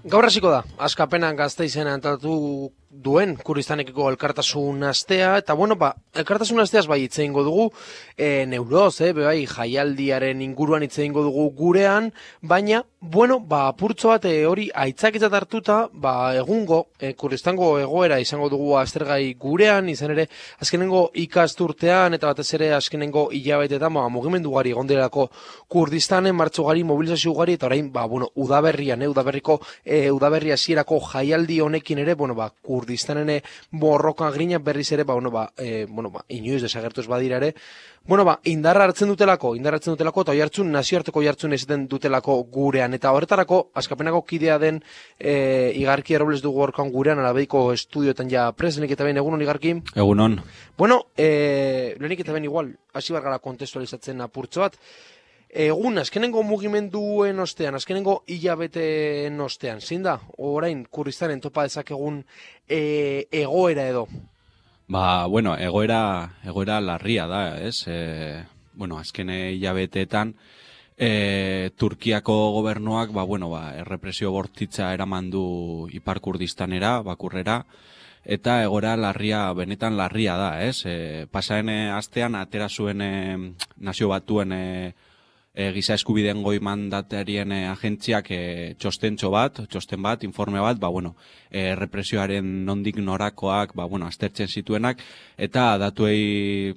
Gaur hasiko da, Askapenak Gasteizen antolatu duen Kurdistanekiko elkartasun astea, eta elkartasun asteaz bai hitz egingo dugu, neuroz, bai, jaialdiaren inguruan hitz egingo dugu gurean, baina, apurtzo bat hori aitzakitzat hartuta, egungo, Kurdistango egoera izango dugu aztergai gurean, izan ere, azkenengo ikasturtean, eta batez ere azkenengo hilabetetan, mugimendu gari egon direlako Kurdistanen, martxo gari, mobilizazio gari, eta orain, udaberrian, udaberri hasierako jaialdi honekin ere, Kurdistanen borroka grina berriz ere, inoiz desagertu ez badira ere, indarra hartzen dutelako, eta oihartzun, nazioarteko oihartzun ezaten dutelako gurean, eta horretarako, Askapenako kidea den Igarki Errobles dugu horkan gurean, alabeiko estudioetan ja presenik eta ben, egunon Igarki? Egunon. Lehenik eta ben igual, hasi bargara kontestualizatzen apurtzo bat, azkenengo mugimenduen ostean, azkenengo hilabeteen ostean, zein da, orain Kurdistanen topa dezakegun egoera edo? Egoera larria da, ez? Azken hilabeteetan, Turkiako gobernuak, errepresio bortitza eraman du Ipar Kurdistanera, bakurrera, eta egoera benetan larria da, ez? Pasaren astean, atera zuen Nazio Batuen giza eskubideen goi mandatarien agentziak txosten bat, informe bat, represioaren nondik norakoak, aztertzen zituenak, eta datuei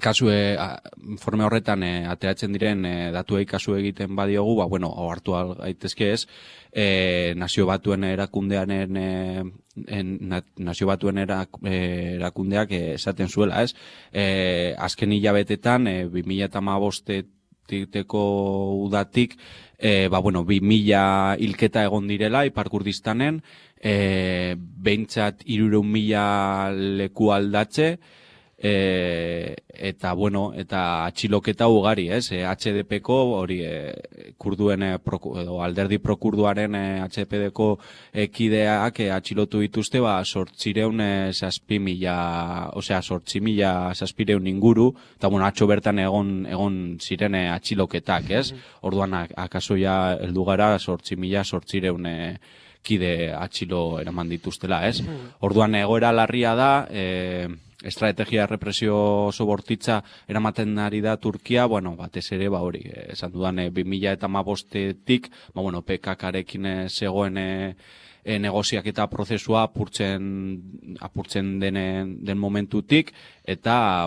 informe horretan ateratzen diren datuei kasu egiten badiogu, hartu gaitezke ez, Nazio Batuen erakundeak esaten zuela, ez? Azken hilabetetan, 2015 udatik, 2000 hilketa egon direla Ipar Kurdistanen, behintzat 300.000 leku aldatze, eta atxiloketa ugari, ez? HDP-ko, hori, kurduen, alderdi prokurduaren HDP-ko kideak atxilotu dituzte, 8.000 inguru, eta atxo bertan egon ziren atxiloketak, ez? Orduan, akaso ja heldu gara 8.000 kide atxilo eraman dituztela, ez? Orduan, egoera larria da, estrategia represio oso bortitza eramaten ari da Turkia, batez ere, esan dudan 2015-tik, PKK-rekin zegoen negoziaketa prozesua apurtzen den momentutik, eta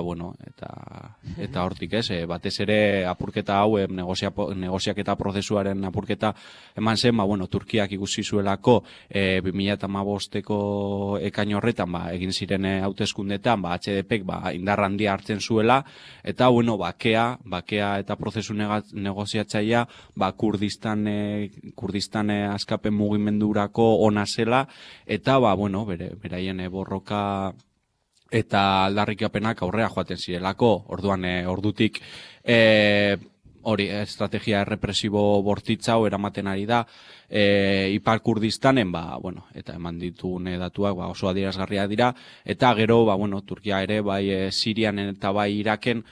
hortik, ez, batez ere apurketa hau, negoziaketa prozesuaren apurketa eman zen, Turkiak ikusi zuelako 2015-eko ekain horretan, egin ziren hauteskundetan, HDP-ek indar handia hartzen zuela, eta, bakea eta prozesu negoziatzailea, Kurdistan askapen mugimendurako ona zela, eta, beraien borroka eta aldarrikapenak aurrera joaten zirelako, ordutik estrategia errepresibo bortitza eramaten ari da Ipar Kurdistanen, eta eman ditune datuak oso adierazgarria dira, eta gero, Turkia ere, bai Sirian eta bai Iraken,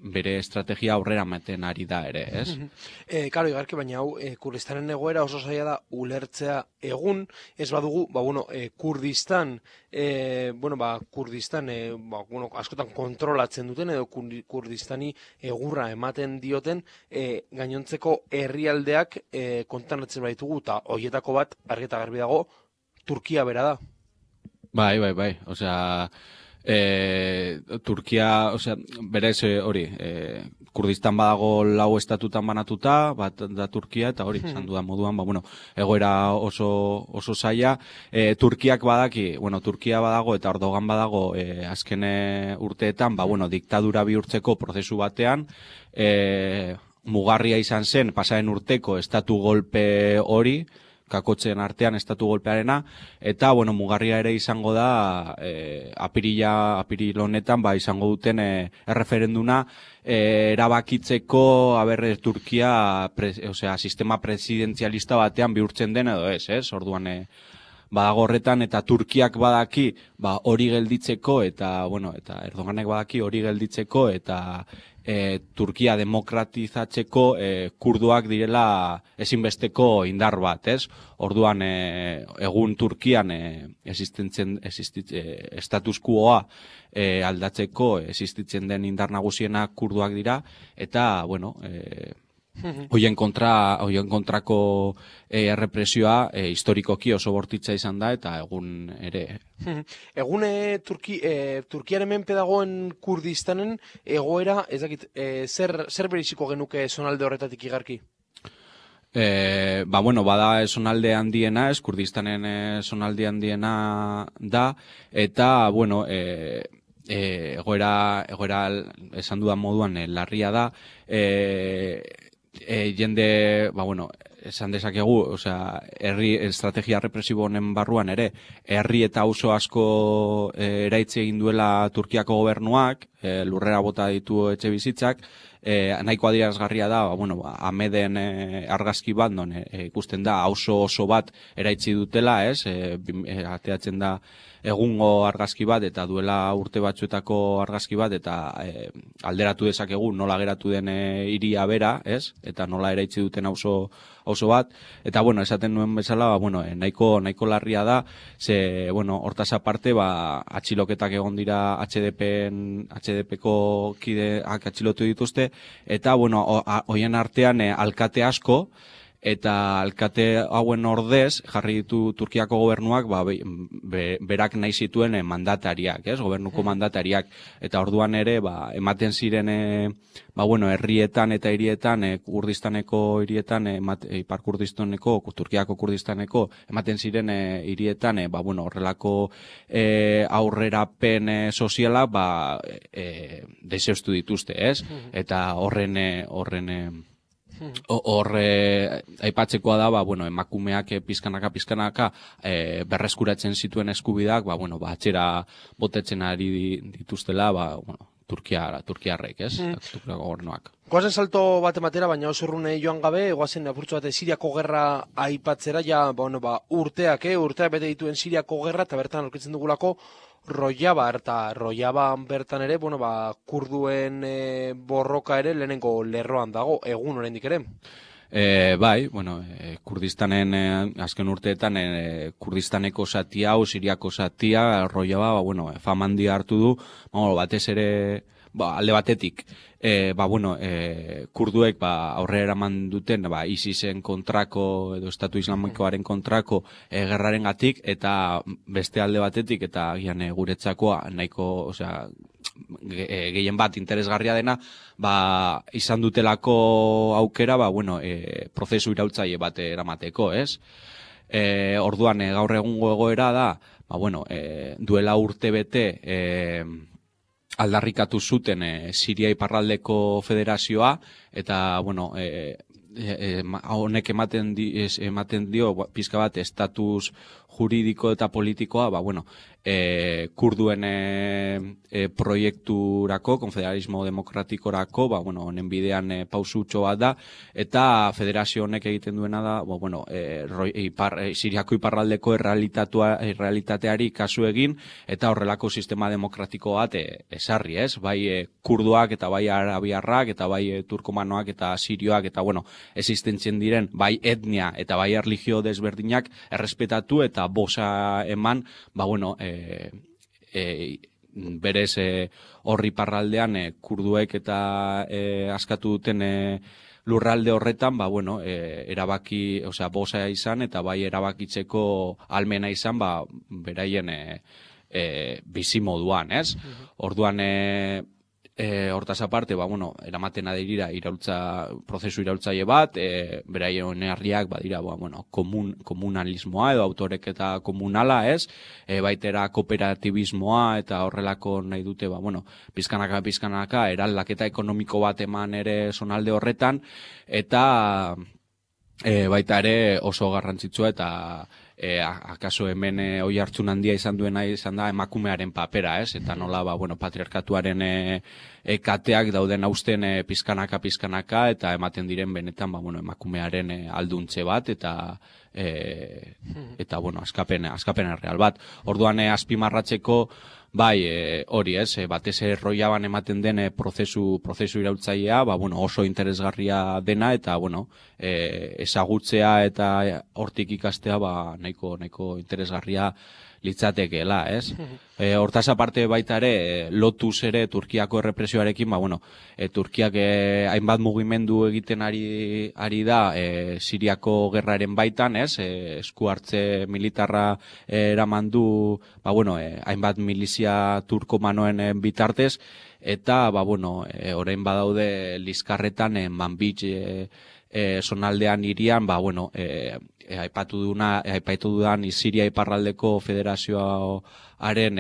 bere estrategia aurrera ematen ari da ere, ez? Karo, Igarki, baina hau, Kurdistanen egoera oso zaila da ulertzea egun, ez badugu, Kurdistan, askotan kontrolatzen duten, edo Kurdistani egurra ematen dioten, gainontzeko herrialdeak kontanatzen baitugu, eta horietako bat, argi eta garbi dago, Turkia bera da. Bai, osea, Turkia, berez hori, Kurdistan badago 4 estatutan banatuta, bat da Turkia, eta hori, esan dudan moduan, egoera oso zaila. Turkiak badaki, Turkia badago eta Erdogan badago azken urteetan, diktadura bihurtzeko prozesu batean, mugarria izan zen, pasaren urteko estatu golpe hori, kakotzen artean estatu golpearena, eta, mugarria ere izango da, apiril honetan, izango duten erreferenduna, erabakitzeko, Turkia, sistema presidenzialista batean bihurtzen den edo ez? Orduan, badago horretan, eta Turkiak badaki hori gelditzeko, eta Erdoganek badaki hori gelditzeko, eta Turkia demokratizatzeko kurduak direla ezinbesteko indar bat, ez? Orduan, egun Turkian status quoa aldatzeko existitzen den indar nagusiena kurduak dira, eta, bueno, hoien kontrako errepresioa historikoki oso bortitza izan da, eta egun ere. Egun Turkiaren menpe dagoen Kurdistanen egoera, ez dakit, zer beriziko genuke zonalde horretatik igarki? Bueno, bada zonalde handiena, Kurdistanen zonalde handiena da, eta, bueno, egoera esan dudan moduan larria da, jende, bueno, esan dezakegu, osea, herri estrategia represibo honen barruan ere, herri eta auzo asko eraitzi egin duela Turkiako gobernuak, lurrera bota ditu etxe bizitzak, nahiko adierazgarria da, bueno, Ameden argazki bat, non ikusten da, auzo oso bat eraitzi dutela, ez? Ateatzen da egungo argazki bat, eta duela urte batzuetako argazki bat, eta alderatu dezakegu nola geratu den hiria bera, ez? Eta nola eraitzi duten auzo bat, eta, bueno, esaten nuen bezala, bueno, nahiko larria da, ze, bueno, hortaz aparte, atxiloketak egon dira HDP-ko kideak atxilotu dituzte, eta, bueno, hoien artean alkate asko, eta alkate hauen ordez jarri ditu Turkiako gobernuak berak nahi zituen mandatariak, ez? Gobernuko mandatariak, eta orduan ere ematen ziren herrietan eta hirietan, Kurdistaneko hirietan, Ipar Kurdistaneko, Turkiako Kurdistaneko ematen ziren hirietan, horrelako aurrerapen soziala deseustu dituzte, ez? Eta horren aipatzekoa da, emakumeak pizkanaka berreskuratzen zituen eskubidak, atxera botetzen ari dituztela, Turkiarrek, ez? Turkiako gobernuak. Goazen salto bat ematera, baina oso urrune joan gabe, goazen apurtzu bat Siriako gerra aipatzera, urteak bete dituen Siriako gerra, eta bertan aurkitzen dugulako Rojava, eta Rojava bertan ere, kurduen borroka ere lehenengo lerroan dago, egun oraindik ere. Kurdistanen azken urteetan Kurdistaneko zatia hau, Siriako zatia, Rojava, famandia hartu du, batez ere, alde batetik, kurduek aurrera eraman duten ISISen kontrako edo Estatu Islamikoaren kontrako gerraren gatik, eta beste alde batetik, eta gian guretzakoa nahiko, gehien bat interesgarria dena, izan dutelako aukera, prozesu iraultzaile bat eramateko, ez? Orduan, gaur egungo egoera da, duela urte bete, aldarrikatu zuten Siria Iparraldeko Federazioa, eta, honek ematen dio pizka bat estatus juridiko eta politikoa, kurduen proiekturako, konfederalismo demokratikorako, honen bidean pausutxo bat da, eta federazio honek egiten duena da, Siriako iparraldeko errealitateari kasu egin, eta horrelako sistema demokratiko bat esarri, ez? Bai kurduak, eta bai arabiarrak, eta bai turkomanoak, eta sirioak, eta existentzien diren, bai etnia, eta bai erlijio desberdinak errespetatu, eta bosa eman, berez horri parraldean kurduek eta askatu duten lurralde horretan, erabaki, bosa izan, eta bai erabakitzeko almena izan, beraien bizi moduan, ez? Orduan, hortaz aparte, eramaten adirira prozesu iraultzaile bat, beraien herriak badira, komunalismoa edo autorek komunala, ez? Baitera kooperatibismoa eta horrelako nahi dute, pizkanaka, eraldaketa ekonomiko bat eman ere zonalde horretan, eta baita ere oso garrantzitsua eta akaso hemen oi hartzun handia izan duena izan da emakumearen papera, ez? Eta nola, patriarkatuaren kateak dauden hausten pizkanaka, eta ematen diren benetan, emakumearen alduntze bat, eta askapen erreal bat. Orduan azpimarratzeko, Bai, hori ez, batez Rojaban ematen den prozesu iraultzailea, bueno, oso interesgarria dena, eta, bueno, ezagutzea eta hortik ikastea, nahiko interesgarria litzatekeela, ez? Hortaz aparte baita ere, lotuz ere Turkiako errepresioarekin, bueno, Turkiak hainbat mugimendu egiten ari da Siriako gerraren baitan, ez? Esku hartze militarra eraman du, bueno, hainbat milizia turkomanoen bitartez, eta, bueno, orain badaude Liskarretan, Manbij zonaldean irian, bueno, aipatu dudan Siria iparraldeko federazioaren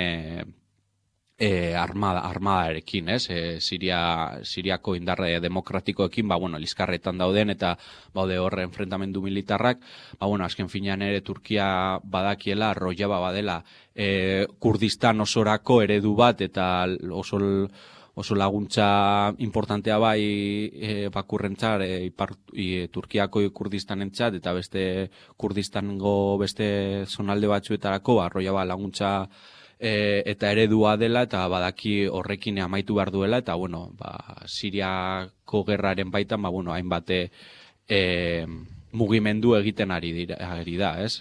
armadarekin, ez? Siriako indarre demokratikoekin, bueno, Liskarretan dauden eta baude horre enfrentamendu militarrak, bueno, azken finean ere Turkia badakiela, Rojava badela Kurdistan osorako eredu bat eta oso laguntza importantea bai bakurrentzat, Turkiako Kurdistanentzat eta beste Kurdistango beste zonalde batzuetarako, Rojava laguntza eta eredua dela, eta badaki horrekin amaitu behar duela, eta, bueno, Siriako gerraren baitan, bueno, hainbat mugimendu egiten ari da, ez?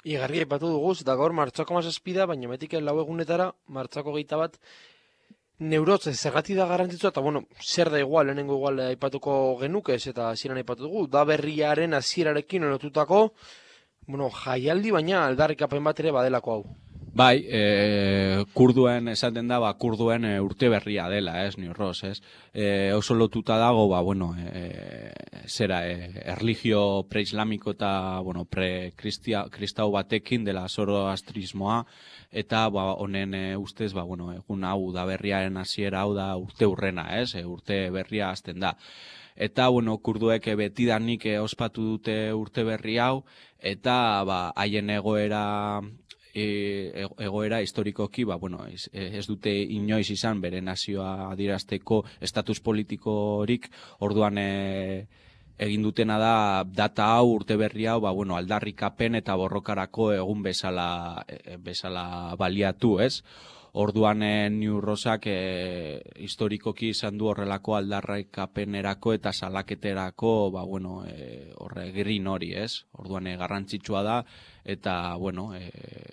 Igarri aipatu dugu, eta gaur martxoko 17 da, baina metik lau egunetara, martxoko 21, neurotze zergatik da garrantzitsua, eta, bueno, zer da igual, lehenengo igual aipatuko genukez, eta hasieran aipatu dugu, da berriaren hasierarekin lotutako, bueno, jaialdi, baina aldarrikapen bat ere badelako hau. Bai, kurduen esaten da, kurduen urte berria dela, ez, New Ross, ez? Oso lotuta dago, bueno, erlijio pre-islamiko eta, bueno, pre-kristau batekin dela zoroastrismoa, eta, honen ustez, bueno, egun hau da berriaren hasiera hau da urte urrena, ez? Urte berria hasten da. Eta, bueno, kurduek betidanik ospatu dute urte berri hau, eta, haien egoera historikoki, bueno, ez dute inoiz izan bere nazioa adierazteko estatus politikorik, orduan egin dutena da data hau, urte berri hau, bueno, aldarrikapen eta borrokarako egun bezala baliatu, ez? Orduan New Rossak historikoki izan du horrelako aldarrikapenerako eta salaketerako, bueno, horregrin hori, ez? Orduan garrantzitsua da, eta, bueno,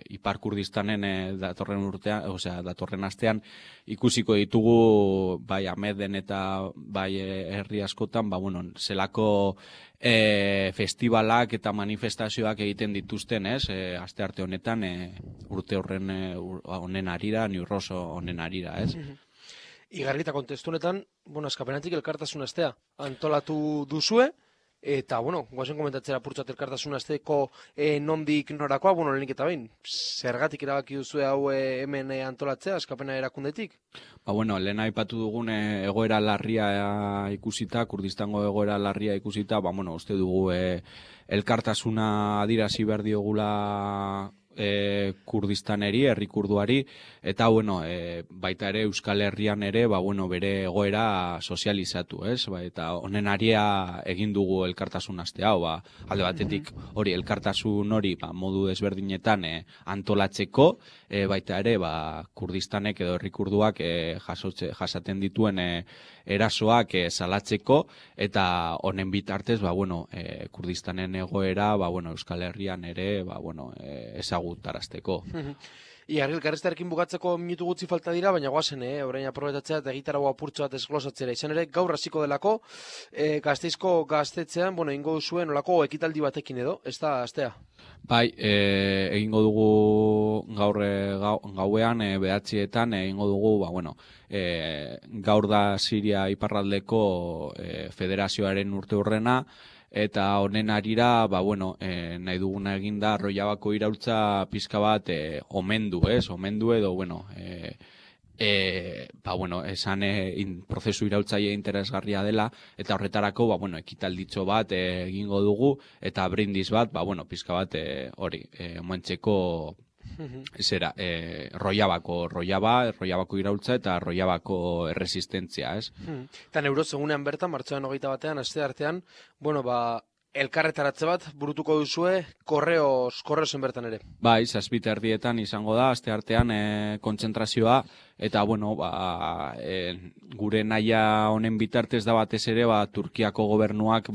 Ipar Kurdistanen datorren astean ikusiko ditugu, bai Ameden eta bai herri askotan, bueno, zelako festivalak eta manifestazioak egiten dituzten, ez? Astearte honetan, urte honen arira, New Ross honen arira, ez? Igarri eta kontestu honetan, bueno, eskapenatik elkartasun astea antolatu duzue, eta, bueno, guazen komentatzera purtsat elkartasun asteko nondik norakoa, bueno, lehenik eta behin, zergatik erabaki duzue hau hemen antolatzea, eskapena erakundetik? Bueno, lehen aipatu dugun egoera larria ikusita, Kurdistango egoera larria ikusita, bueno, uste dugu elkartasuna adirazi behar diogula Kurdistaneri, herri kurduari, eta, bueno, baita ere Euskal Herrian ere, bueno, bere egoera sozializatu, ez? Eta honen aria egin dugu elkartasun aste hau, alde batetik hori, elkartasun hori, modu desberdinetan antolatzeko, baita ere, Kurdistanek edo herri kurduak jasaten dituen erasoak salatzeko, eta honen bitartez, bueno, Kurdistanen egoera, bueno, Euskal Herrian ere, bueno, ezagutarazteko. Igarri, elkarreztarekin bukatzeko minutu gutxi falta dira, baina guazen, orain aprobetatzea eta egitarago apurtxo bat esglosatzera. Izan ere, gaur hasiko delako, Gasteizko gaztetzean, bueno, ingo duzuen olako ekitaldi batekin edo, ez da, astea? Bai, egingo dugu gaur gauean, behatzietan, egingo dugu, bueno, gaur da Siria iparraldeko federazioaren urte hurrena, eta honen arira, bueno, nahi duguna eginda Rojavako iraultza pizka bat omendu, ez? Omendu edo, bueno, bueno, esan prozesu iraultzaile interesgarria dela, eta horretarako, bueno, ekitalditxo bat egingo dugu, eta brindis bat, bueno, pizka bat hori, moentzeko zera, Rojavako iraultza eta Rojavako erresistentzia, ez? Eta neuroz egunean bertan, martxoan 21 aste artean, bueno, elkarretaratze bat burutuko duzue korreosen bertan ere. Bai, 7:30 izango da, asteartean kontzentrazioa, eta bueno, gure nahia honen bitartez da batez ere, Turkiako gobernuak,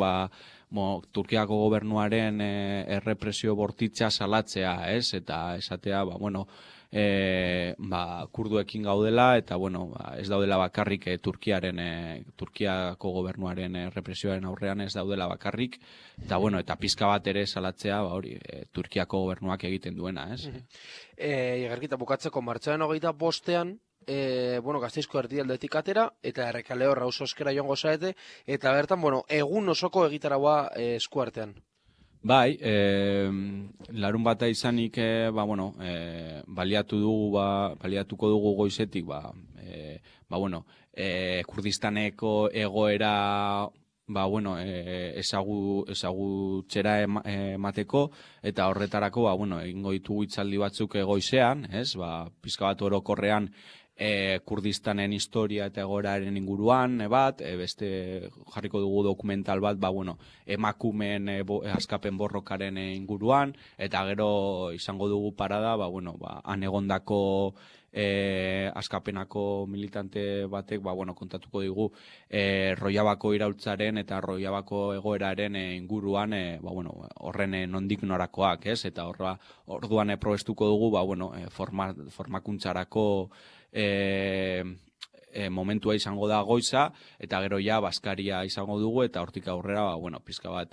Turkiako gobernuaren errepresio bortitza salatzea, ez? Eta esatea, kurduekin gaudela, eta ez daudela bakarrik Turkiako gobernuaren represioaren aurrean ez daudela bakarrik, eta pizka bat ere salatzea, Turkiako gobernuak egiten duena, ez? Igarkita, bukatzeko martxoaren 25ean, Gasteizko erdialdetik atera, eta Errekalehor auzo eskera joango zaete, eta bertan, egun osoko egitaraua eskuartean. Bai, larun bata izanik, baliatuko dugu goizetik, Kurdistaneko egoera, ezagutzera emateko, eta horretarako, egingo ditugu hitzaldi batzuk goizean, ez, pizka bat orokorrean, Kurdistanen historia eta egoeraren inguruan, beste jarriko dugu dokumental bat, emakumeen askapen borrokaren inguruan, eta gero izango dugu parada, han egondako askapenako militante batek, kontatuko digu Rojavako iraultzaren eta Rojavako egoeraren inguruan, horren nondik norakoak, ez? Eta orduan probestuko dugu, formakuntzarako momentua izango da goiza, eta gero ja Baskaria izango dugu, eta hortik aurrera, pizka bat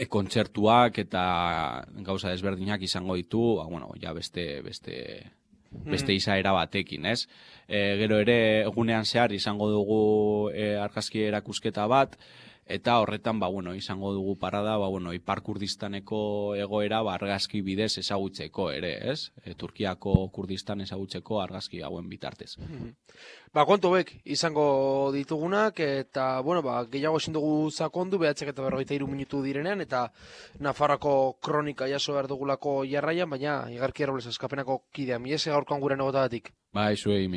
kontzertuak eta gauza desberdinak izango ditu, beste izaera batekin, ez? Gero ere, egunean zehar izango dugu argazki erakusketa bat, eta horretan, izango dugu parada, Ipar Kurdistaneko egoera argazki bidez ezagutzeko ere, ez? Turkiako Kurdistan ezagutzeko argazki hauen bitartez. Kontu hauek izango ditugunak, eta, gehiago ezin dugu sakondu, 9:43 minutu direnean, eta Nafarroako kronika jaso behar dugulako jarraian, baina Igarki Robles askapenako kidea, miese gaurkoan gure negotagatik. Bai, zuei,